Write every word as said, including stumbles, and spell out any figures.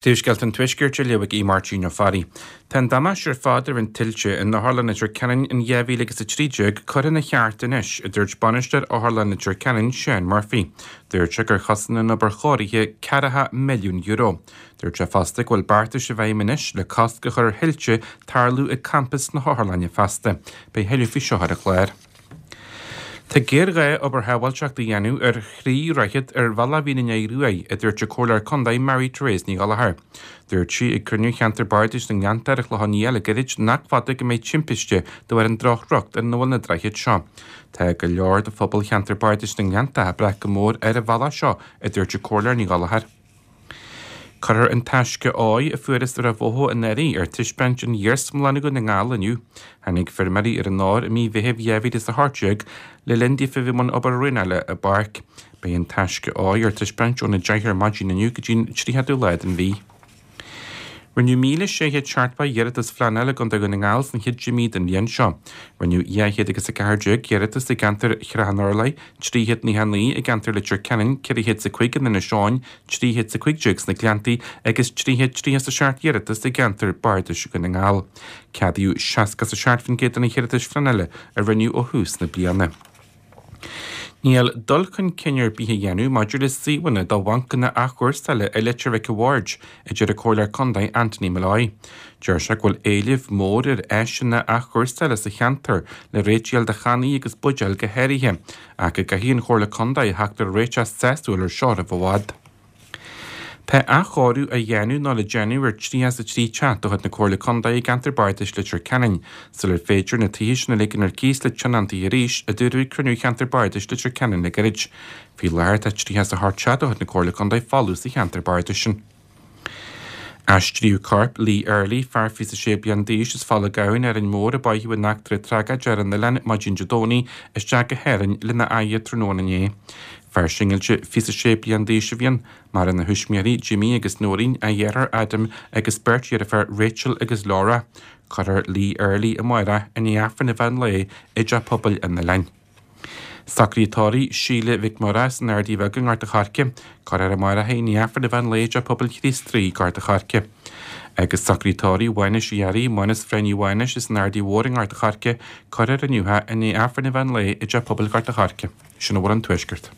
Príomhscéalta an Tuaiscirt á léamh ag Máirtín Ó Fearraigh. Tá an damáiste ar fad a rinne tuilte in Otharlann Leitir Ceanainn in dhá mhíle agus a trí déag curtha ina cheart anois, a dúirt bainisteoir Otharlann Leitir Ceanainn, Seán Murphy. Dúirt sé gur chosain an obair chóirithe ceathracha milliún euro. Dúirt sé fosta go bhfuil beartais i bhfeidhm anois le cosc a chur ar thuilte tarlú ag campas na hotharlainne feasta. Beidh tuilleadh faoi seo ar an chlár. Tá géarghá obair shábháilteachta a dhéanamh ar thrí dhroichead ar Bhealach Mhín an Fhaiche Ruaidh, a dúirt an Comhairleoir Contae Mary Therese Ní Ghallchóir. Dúirt sí ag cruinniú cheantar Bardais na nGleannta ar an Chlochán Liath le gairid nach fada go mbeidh timpiste de bharr an drochthreocht ina bhfuil na droichid seo. Tá go leor de phobal cheantar Bardais na nGleannta ag brath go mór ar an bhealach seo, a dúirt an Comhairleoir Ní Ghallchóir. Cuirfear an taisce óir a fuarthas ar an bhóthar anuraidh ar taispeáint in Iarsmalann Dhún na nGall inniu. Tháinig feirmeoirí ar an ór i mí Mheithimh dhá mhíle is a hocht déag le linn daofa bheith i mbun obair dhraenála i bpáirc. Beidh an taisce óir ar taispeáint óna deich ar maidin inniu go dtí an tríochadú lá den mhí. Rinneadh míle sé chéad seachtó iarratas phleanála i gContae Dhún na nGall sna chéad deich mí den bhliain seo. Rinneadh dhá chéad agus a ceathair déag iarratas i gceantar Shrath an Urláir, trí chéad nócha a naoi i gceantar Leitir Ceanainn, ceithre chéad is a cúig in Inis Eoghain, trí chéad is a cúig déag sna Gleanntaí agus trí chéad tríocha is a seacht iarratas i gceantar Bardais Dhún na nGall. Ceadaíodh seasca is a seacht faoin gcéad de na hiarratais phleanála a rinneadh ó thús na bliana. Níl dul chun cinn ar bith á dhéanamh maidir le suíomhanna do bhancanna athchúrsála i Leitir Mhic a' Bhaird, a deir an Comhairleoir Contae Anthony Molloy. Deir sé go bhfuil éileamh mór ar áiseanna athchúrsála sa cheantar le réitigh do channaí agus buidéil go háirithe, ach go gcaithfidh an Chomhairle Contae theacht ar réiteach sásúil ar seo roimh i bhfad. Tá athchóiriú á dhéanamh nó le déanamh ar tríocha is a trí teach de chuid na Comhairle Contae i gceantar Bardais Leitir Ceanainn, sular féidir na tithe sin a ligean ar cíos le tionóntaí arís, a dúradh ag cruinniú cheantar Bardais Leitir Ceanainn le gairid. Faoi láthair tá tríocha is a hocht teach de chuid na Comhairle Contae folamh sa cheantar Bardais sin. Aistríodh corp Lee Early, fear fiche is a sé bliain d'aois as Falla Gabhann, Árainn Mhór, a báitheadh in eachtra tragóideach ar an oileán maidin Dé Domhnaigh, isteach go hÁrainn lena fhaire tráthnóna inné. Fear singilte fiche is a sé bliain d'aois a bhí ann, maireann a thuismitheoirí Jimmy agus Noreen, a dheartháir Adam agus beirt dheirfiúr Rachel agus Laura. Cuirfear Lee Early amárach i ndiaidh Aifreann an mheán lae i dteach pobail an oileáin. Socruithe tórraimh Síle Mhic Murchadha san Ardaí Bheag i nGort a' Choirce, cuirfear amárach í i ndiaidh Aifreann an mheán lae i dteach pobail Chríost Rí, Gort a' Choirce. Agus socruithe tórraimh Mhánais Uí Fhearraigh, Mánas Phráinní Mhánais as an Ardaí Mhór i nGort a' Choirce, cuirfear inniu í i ndiaidh Aifreann an mheán lae i dteach pobail Ghort a' Choirce. Sin a bhfuil ón Tuaisceart.